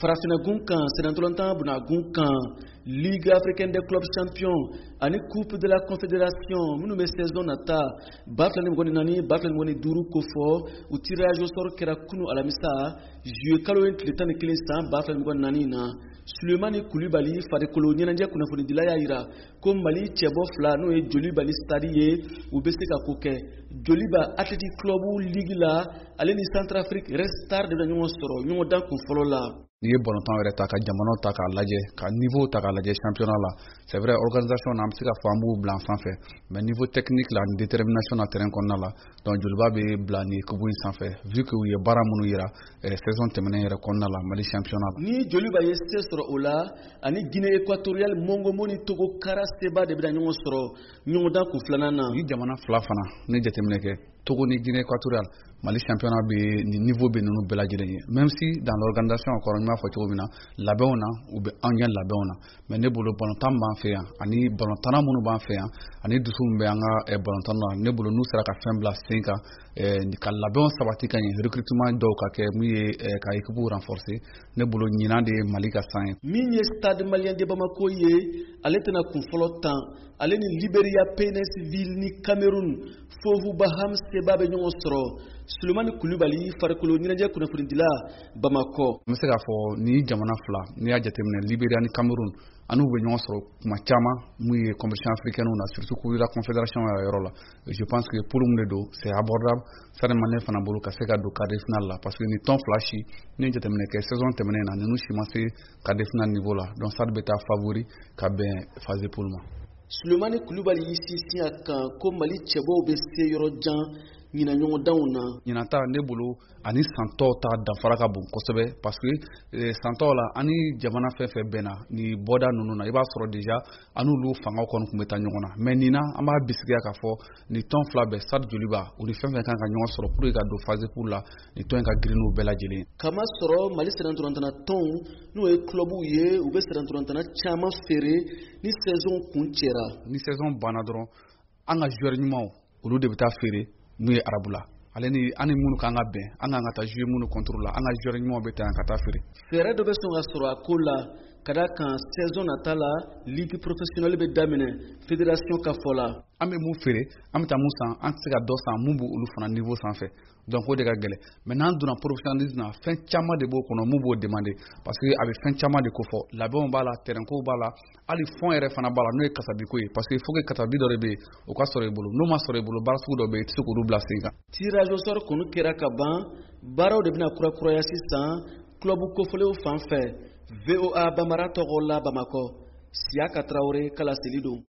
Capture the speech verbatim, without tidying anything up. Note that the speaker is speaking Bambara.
Farafinna kan, sennantolatan bunagun kan, Ligue africaine des clubs champions ani Coupe de la Confédération minnu bɛ saison nata ba fila ni mugan ni naani, ba fila ni mugan ni duuru kofɔ, u tirage au sort kɛra kunu alamisa, juillet kalo ye tile tan ni kelen san ba fila ni mugan ni naani na. Sulemani Kulibali, farikolo ɲɛnajɛ kunnafonidila, y'a yira ko Mali cɛbɔ fila, n'o ye Joliba ni Stade ye, u bɛ se ka ko kɛ. Joliba Athletic Club ligue la, ale ni Centrafrique Red Star de bɛ ɲɔgɔn sɔrɔ ɲɔgɔndan kun fɔlɔ la. N'i ye balontan yɛrɛ ta, ka jamanaw ta k'a lajɛ, ka niveau ta k'a lajɛ championnat la, c'est vrai, organisation na, an bɛ se ka fɔ an b'u bila an sanfɛ, mais niveau technique la ani détermination na terrain kɔnɔna la, donc Joliba bɛ bila nin équipe in sanfɛ, vu que u ye baara minnu yira saison tɛmɛnen yɛrɛ kɔnɔna la Mali championnat la. Ni Joliba ye se sɔrɔ o la, ani Guinée Équatoriale Mongomo ni Togo Kara seba de bɛna ɲɔgɔn sɔrɔ ɲɔgɔndan kun filanan na. Ni jamana fila fana ne jateminɛ kɛ, Togo ni Guinée Équatoriale, Mali championnat bɛ nin niveau bɛ ninnu bɛɛ lajɛlen ye, même si dans l'organisation kɔrɔ, n b'a fɔ cogo min na, labɛnw na, u bɛ anw ɲɛ labɛnw na, mais ne bolo balontan b'an fɛ yan ani balontanna minnu b'an fɛ yan ani dusu min bɛ an ka balontan na, ne bolo n'u sera ka fɛn bila sen kan, ka labɛnw sabati ka ɲɛ, recrutement dɔw ka kɛ mun ye ka équipe renforcer, ne bolo ɲinan de ye Mali ka san ye. Min ye Stade Malien de Bamako ye, ale tɛna kun fɔlɔ tan. Ale ni Liberia P N S Ville ni Cameroun Fovu Baham seba bɛ ɲɔgɔn sɔrɔ. Sulemani Kulibali, farikolo ɲɛnajɛ kunnafonidila, Bamakɔ. N bɛ se k'a fɔ ni jamana fila, n'i y'a jateminɛ, Liberia ni Cameroun, an n'u bɛ ɲɔgɔn sɔrɔ kuma caman mun ye compétition africaine na, surtout Coupe de la Confédération yɛrɛ yɔrɔ la. Je pense que poule mun de don, c'est abordable Stade Malien fana bolo ka se ka don quart de finale la, parce que ni tɔn fila si, ni ye jateminɛ kɛ saison tɛmɛnen na, ninnu si ma se quart de finale niveau la, donc Stade bɛ taa favori ka bɛn phase de poule ma. Sulemani Kulibali y'i sinsin a kan ko Mali cɛbɔw bɛ se yɔrɔ jan ɲinan ɲɔgɔndanw na. Ɲinan ta, ne bolo, ani san tɔw ta danfara ka bon kosɛbɛ, parce que san tɔw la, ani jamana fɛn fɛn bɛnna ni bɔda ninnu na, i b'a sɔrɔ déjà an n'olu fangaw kɔni tun bɛ taa ɲɔgɔn na, mais nin na, an b'a bisigiya k'a fɔ nin tɔn fila bɛɛ, Stade, Joliba, u ni fɛn fɛn kan ka ɲɔgɔn sɔrɔ pour que ka don phase poule la, nin tɔn in ka girin n'u bɛɛ lajɛlen. Kama sɔrɔ Mali sennantolatan tɔnw, n'o ye clubw ye, u bɛ sennantolatan caman feere ni saison kun cɛra. Ni saison banna dɔrɔn, an ka joueur ɲumanw, olu de bɛ taa feere mun ye arabu la, ale ni an ni minnu kan ka bɛn, an kan ka taa jouer minnu contre la, an ka joueur ɲumanw bɛ taa yan ka taa feere. Fɛɛrɛ dɔ bɛ sɔn ka sɔrɔ a ko la, ka da kan saison nata la, ligue professionnelle bɛ daminɛ, fédération ka fɔ la. An bɛ mun feere, an bɛ taa mun san, an tɛ se ka dɔ san mun b'olu fana niveau sanfɛ, donc o de ka gɛlɛn. Mais n'an donna professionnalisme na, fɛn caman de b'o kɔnɔ mun b'o demander, parce que a bɛ fɛn caman de kofɔ: labɛnw b'a la, terrain ko b'a la, hali fond yɛrɛ fana b'a la, n'o ye kasabiko ye, parce que il faut que kasabi dɔ de bɛ yen, o ka sɔrɔ i bolo. N'o ma sɔrɔ i bolo, baara sugu dɔ bɛ yen, i tɛ se k'olu bila sen kan. Tirage au sort kɔni kɛra ka ban, baaraw de bɛna kurakuraya sisan club kofɔlenw fan fɛ. V O A Bambara tɔgɔ la, Bamakɔ, Siyaka Tarawele ka laseli don.